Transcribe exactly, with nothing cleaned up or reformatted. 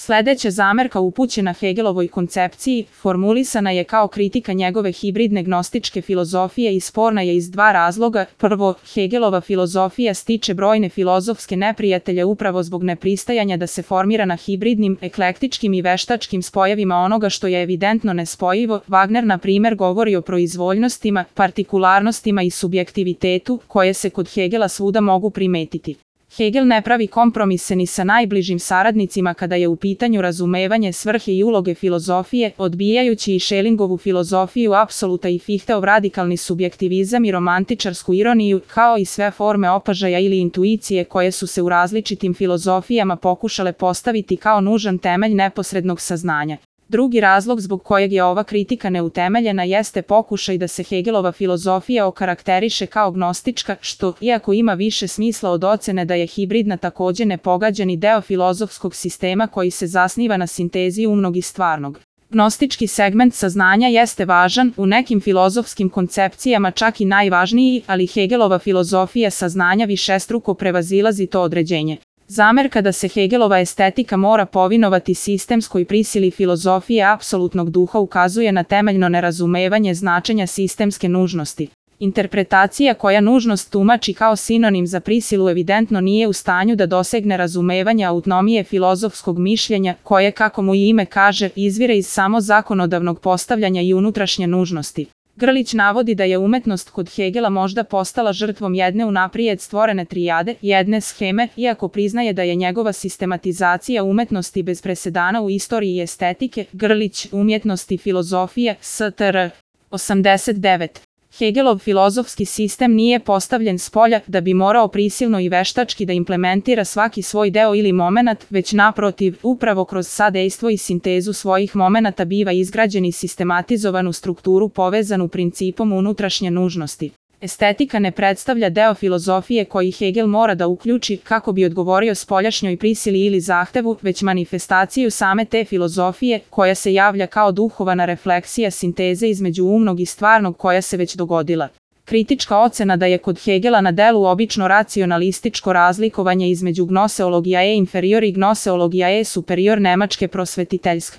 Sledeća zamerka upućena Hegelovoj koncepciji formulisana je kao kritika njegove hibridne gnostičke filozofije i sporna je iz dva razloga. Prvo, Hegelova filozofija stiče brojne filozofske neprijatelje upravo zbog nepristajanja da se formira na hibridnim, eklektičkim i veštačkim spojevima onoga što je evidentno nespojivo. Wagner, na primer, govori o proizvoljnostima, partikularnostima i subjektivitetu, koje se kod Hegela svuda mogu primetiti. Hegel ne pravi kompromise ni sa najbližim saradnicima kada je u pitanju razumevanje svrhe i uloge filozofije, odbijajući i Schellingovu filozofiju apsoluta i Fichteov radikalni subjektivizam i romantičarsku ironiju, kao i sve forme opažaja ili intuicije koje su se u različitim filozofijama pokušale postaviti kao nužan temelj neposrednog saznanja. Drugi razlog zbog kojeg je ova kritika neutemeljena jeste pokušaj da se Hegelova filozofija okarakteriše kao gnostička, što, iako ima više smisla od ocene da je hibridna, takođe nepogađani deo filozofskog sistema koji se zasniva na sintezi umnog i stvarnog. Gnostički segment saznanja jeste važan, u nekim filozofskim koncepcijama čak i najvažniji, ali Hegelova filozofija saznanja višestruko prevazilazi to određenje. Zamerka da se Hegelova estetika mora povinovati sistemskoj prisili filozofije apsolutnog duha ukazuje na temeljno nerazumevanje značenja sistemske nužnosti. Interpretacija koja nužnost tumači kao sinonim za prisilu evidentno nije u stanju da dosegne razumevanje autonomije filozofskog mišljenja, koje, kako mu i ime kaže, izvire iz samo zakonodavnog postavljanja i unutrašnje nužnosti. Grlić navodi da je umetnost kod Hegela možda postala žrtvom jedne unaprijed stvorene trijade, jedne sheme, iako priznaje da je njegova sistematizacija umetnosti bez presedana u istoriji estetike. Grlić, Umjetnost i filozofija, S T R. osamdeset devet. Hegelov filozofski sistem nije postavljen spolja da bi morao prisilno i veštački da implementira svaki svoj deo ili momenat, već naprotiv, upravo kroz sadejstvo i sintezu svojih momenata biva izgrađen i sistematizovan u strukturu povezanu principom unutrašnje nužnosti. Estetika ne predstavlja deo filozofije koji Hegel mora da uključi kako bi odgovorio spoljašnjoj prisili ili zahtevu, već manifestaciju same te filozofije, koja se javlja kao duhovana refleksija sinteze između umnog i stvarnog koja se već dogodila. Kritička ocena da je kod Hegela na delu obično racionalističko razlikovanje između gnoseologija e inferior i gnoseologija e superior nemačke prosvetiteljske